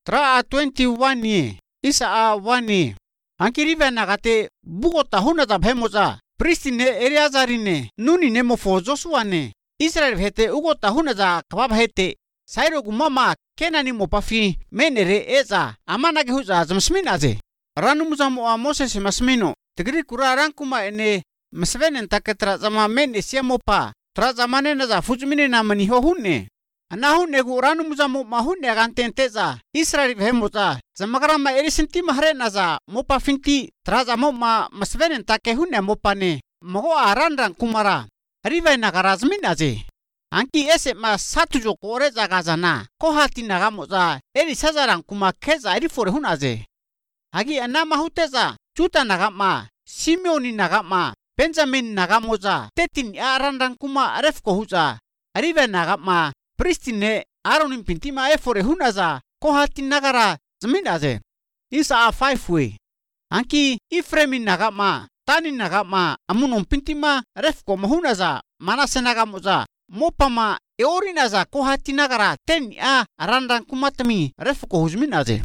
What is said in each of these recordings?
Tra 21 ni isa 1 ni. Anki rive nagate bugota hunata bhemoza. Pristine Eleazarine nuni ne mofo Joshua ne. Israel hete ugota hunata kabab hete. Sairo gumama kenani mopafi menere eza amanage huza zamsminaze. Ranumuza mo Moses masmino. Tigri kurarang kuma ene masvenen taketra zama men siamopa. Tra zamane na za fujmine na mani hohune. Anahune gu ranumuza mo mahune gantenteza. Israel bhemoza. Zamagrama erisinti mahre na za mopa finti. Tra zamo masvenen takehune mopane. Mogo arandrang kumara. Rive nagarazminaze. Anki ese satu jo kore zagazana. Kohati nagamoza. Eri sazarang kuma keza erifore hunaze. Hagi anama huteza. Juta nagama. Simeoni nagama. Benjamin nagamoza. Tetin arandrang kuma arefko huza. Rive nagama. Pristine Aaronin pintima efore hunaza. Kohati nagara zminaze. Isa 5 way. Anki Ifremin nagama. Tani nagama. Amunon pintima refko mahunaza. Manase nagamoza. Mopama eorinaza kohati nagara ten arandrang kumatami refko huzminaze.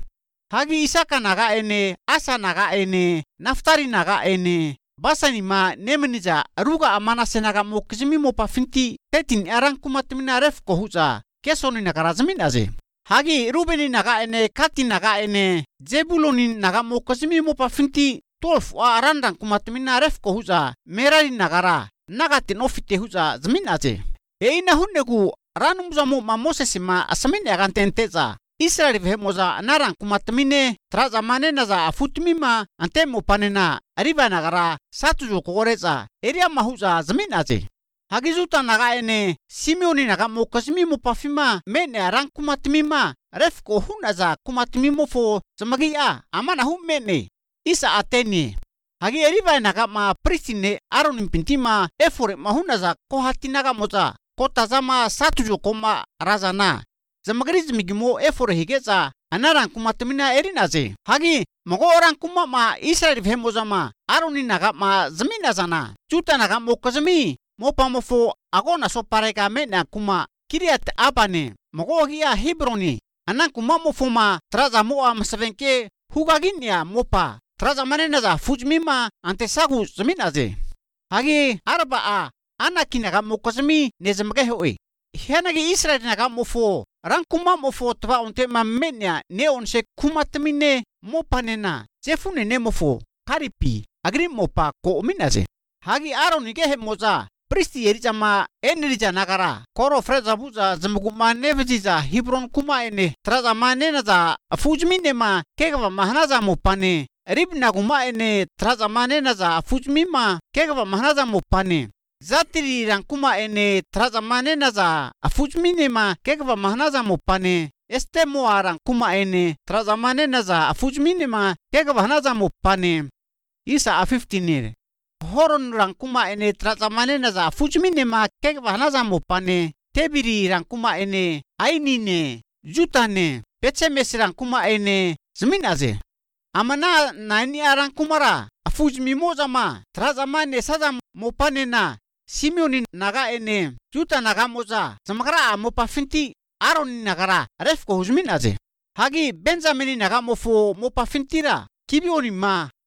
Hagi Isaka naga ene, Asa naga ene, Naftari naga ene, Basani nemeniza ruga amanase naga mokizimi mopa finti tetin arang kumatamina refko huza kesoni nagara zminaze. Hagi Rubeni naga ene, Kati naga ene, Zebuloni naga mokizimi mopa finti 12 arandrang kumatamina refko huza Merari nagara nagatin ofite huza zminaze. Eina hunnegu ranumuza mo Moses asamine agantenteza. Israel bhemoza narang kumatamine tra zamane naza afutmima antemo panena ariba nagara satu jo koreza eria mahuza zminaze. Hagizuta naga ene Simeoni naga mokasimi mo pafima mene arang kumatamima refko hunaza kumatamimo fo zamagia amana mene isa ateni. Hagi eriba naga pristine Aaronin pintima efore mahunaza kohati naga moza. Kota zama satu jo koma razana. Zamagriz migimo efore higeza anarang kumatamina erinaze. Hagi mogo orang kuma Israel bhemozama Aaronin naga zminazana. Juta naga mokazami mopamofo agona soparega mena kuma Kiriat Abane. Mogo gia Hebroni. Anang kuma mofoma traza moa masavenke hugaginya mopa. Traza manenaza fujmima antesagu zminaze. Hagi Arba Anaki naga mokazami nezamage hoi. Hianagi Israel naga mofo. Rang kuma mofo twa onte menya neon se kumatamine mopanena. Jefune ne mofo. Karipi. Agri mopa ko ominaze. Hagi Aaron ge moza. Pristi erijama enrija nagara. Koro freza buza zamuguma nevejiza Hebron kuma ene. Traza manena za fujmine kegava mahanaza mopane. Ribna kuma ene traza manena za fujmima kegava mahanaza mopane. Zatiri rangkuma ene traza manena za afujmine kegava mahanaza mopane. Este moa rangkuma ene traza manena za afujmine kegava hanaza mopane. Isa 15 Horon rangkuma ene traza manena za afujmine kegava hanaza mopane. Tebiri rangkuma ene ainine jutane pechemes rangkuma ene zminaze. Amana nani rangkumara afujmimoza traza mane saza mopanena. Simeoni naga ene juta naga moza zamagara mopa finti Aaronin nagara refko huzminaze. Hagi Benjamini naga mofo mopa fintira Kibioni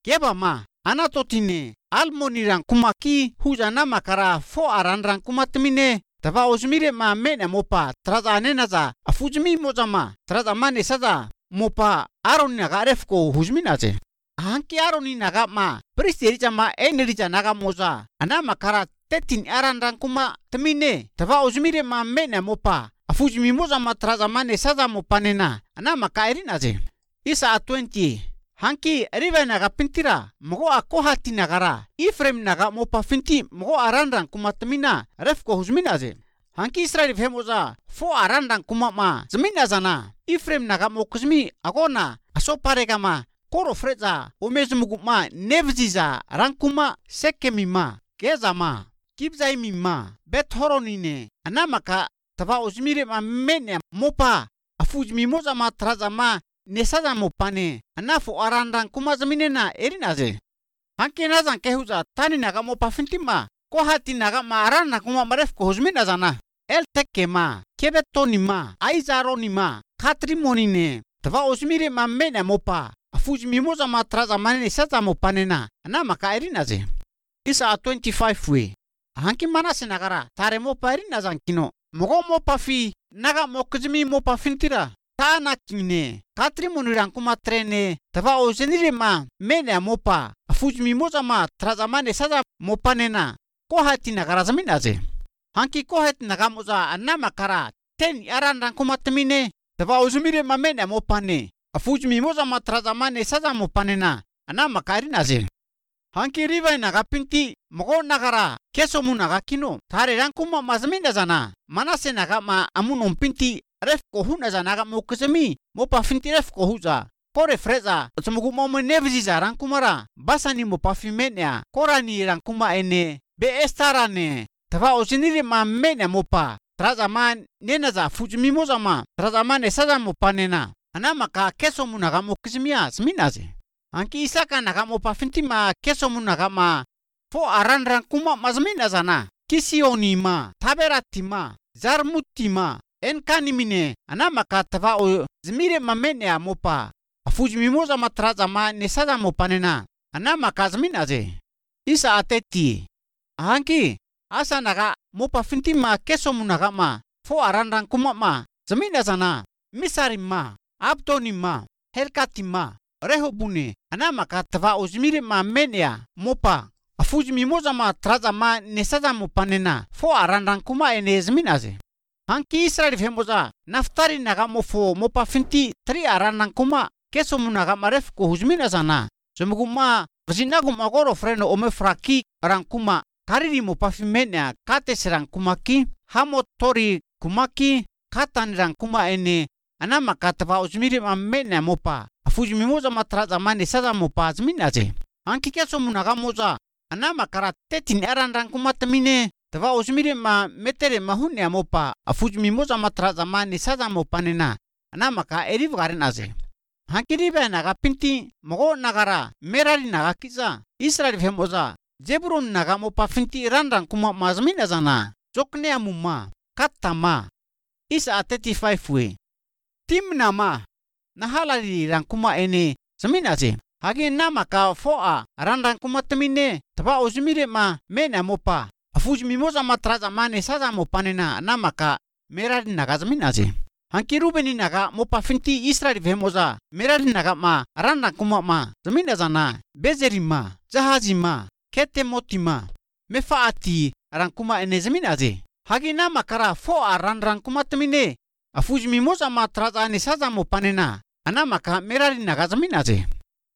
Geba Anatotine Almonirang kumaki huzana makara fo arandrang kumatmine tava uzmire mena mopa traza nenaza afujmi mozama traza mane saza mopa Aaronin naga refko huzminaze. Hanki Aaronin naga pristeri jama enrija naga moza anama kara tetin arandrang kuma temine tava uzmire mena mopa afujmi moza traza mane saza mopanena anama kairinaze. Isa 20 Hanki rive naga pintira mogo akohati nagara Ifrem naga mopa finti mogo arandrang kuma temina refko huzminaze. Hanki Israel bhemoza fo arandrang kuma zminazana Ifrem naga mokuzmi agona asoparega koro freza omezmugu nevziza rankuma sekemima gezama kibzaimima bethoronine anamaka tava uzmire mene mopa afujmi moza traza nesaza mopane anafo arandrang kuma zminena erinaze. Hanki nazan kehuza tani naga mopa fintima kohati naga arana kuma marefko huzminazana el tekema kebetonima aizaronima katrimonine tava uzimire mamena mopa afuji mimoza matraza manene sata mopanena ana maka erinaze. Isa 25 we. Hanki manase nagara tare mopa erina zankino. Mogo mopa fi naga mokzimi mopa fintira. Tana kine katri muniran kuma trene tava uzimire ma mena mopa afuji mimoza matraza manene sata mopanena kohati nagara zaminaze. Hanki kohati nagamoza ana makara ten aran kuma temine tava uzimire ma mena mopane afuji mimoza matraza manene sata mopanena ana maka erinaze. Hanki riva naga pinti mogo nagara keso munaga kino tare rankuma mazminda zana manase naga ma amunon pinti ref ko huna zana ga mokesemi mopa finti ref ko huza kore freza sumugu momo nevziza rankumara basani mopa fimenya korani rankuma ene be estarane tava osiniri ma menya mopa traza man nena za fuji mimoza ma traza man esaza mopanena ana maka keso munaga mokesemia sminaze. Hanki isaka naga mopa finti ma keso munaga ma fo aran kuma mazmina zana kisioni ma taberati ma zarmuti ma enkani mine ana maka tava o zmire mamene mopa afuji mimoza matraza ma nesada mopanena ana maka zminaze. Isa ateti hanki asa naga mopa finti ma keso munaga ma fo aran kuma ma zamina zana misari ma abdoni ma helkati ma rehobune ana maka tava uzmire ma menia mopa afuji mimoza ma traza ma nesada mopanena fo aran kuma ene zminaze. Hanki Israel femoza naftari naga mofo mopa finti tri aran kuma keso munaga maref ko huzmina zana semuguma vzinagu magoro freno ome fraki rankuma kariri mopa fimenia kate serankuma ki hamotori kumaki katan rankuma ene ana maka tava uzmire ma menia mopa afuji mimoza matraza mane sasa mopa zminaze. Hanki keso munaga moza ana makara tetin aran kuma temine tava uzmire ma metere mahunya mopa afuji mimoza matraza mane sasa mopanena ana maka eriv garinaze. Hanki riba naga pinti mogo nagara merari naga kiza Israel femoza Zebulun naga mopa finti randan kuma mazmina zana jokne amuma katama. Isa 35 we. Timna ma nahalari rankuma ene zaminaze. Hagi namaka foa randan kuma temine tava uzmire ma mena mopa afuji mimoza matraza mane sasa mopanena namaka merari naga zaminaze. Hanki Rubeni naga mopa finti Israel femoza merari naga ma randan kuma ma zamina zana bezeri ma jahazi ma kete moti ma mefaati rankuma ene zaminaze. Hagi namakara foa randan kuma temine afuji mimoza matraza ane sasa mopanena anamaka merari naga zaminaze.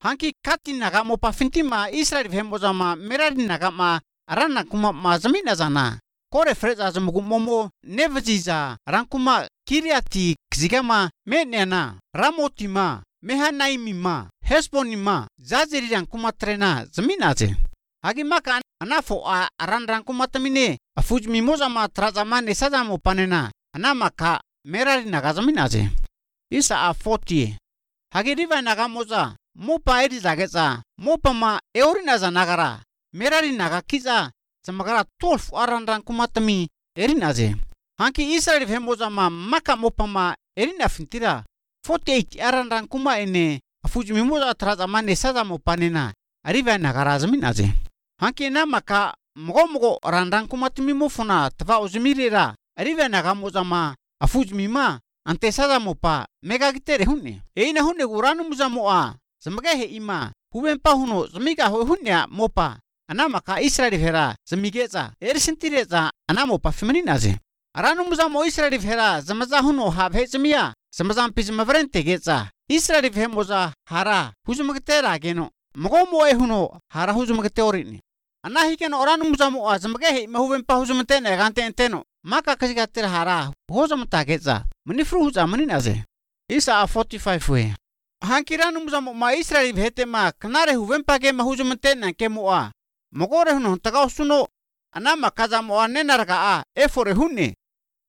Hanki kati naga mopa finti ma Israel femoza ma merari naga ma arana kuma ma zamina zana kore freza zumugu momo nevziza rankuma kiriati kzigama menena ramoti ma mehanaimi ma hesboni ma zazeri rankuma trena zaminaze. Hagi maka anafo aran rankuma tamine afuji mimoza ma traza mane sasa mopanena anamaka merari naga zaminaze. Isa 40 hagi riva naga moza mopa eri zageza mopa ma eurina za nagara merari naga kiza zamagara 12 aran kuma tami erinaze. Hanki Israel femoza ma maka mopa ma erina fintira 48 aran kuma ene afuji mimoza traza mane sasa mopanena ariva nagara zaminaze. Hanki na maka mogo aran kuma tami mofuna tava uzmirira ariva naga moza ma afuji mima ante sasa mopa mega gitere hunne eina hunne guranu muza moa zamage he ima hubenpa huno zamiga hunnya mopa ana maka Israel hera zamigeza ersintireza ana mopa femininaze. Aranu muza mo Israel hera zamaza huno habe zamia zamazam pizma vrente geza Israel femoza hara huzumagtera geno mogo mo e huno hara huzumagteorini ana hikeno aranu muza mo zamage he ima hubenpa huzumtene gante enteno maka kasigatera hara hozamta geza manifru huza maninaze. Isa 45 we. Hanki ranu muza ma Israel hete ma kanare hubenpa ke mahuzumtena ke moa mogore huno tagausuno ana makaza moa nenarga efore hunne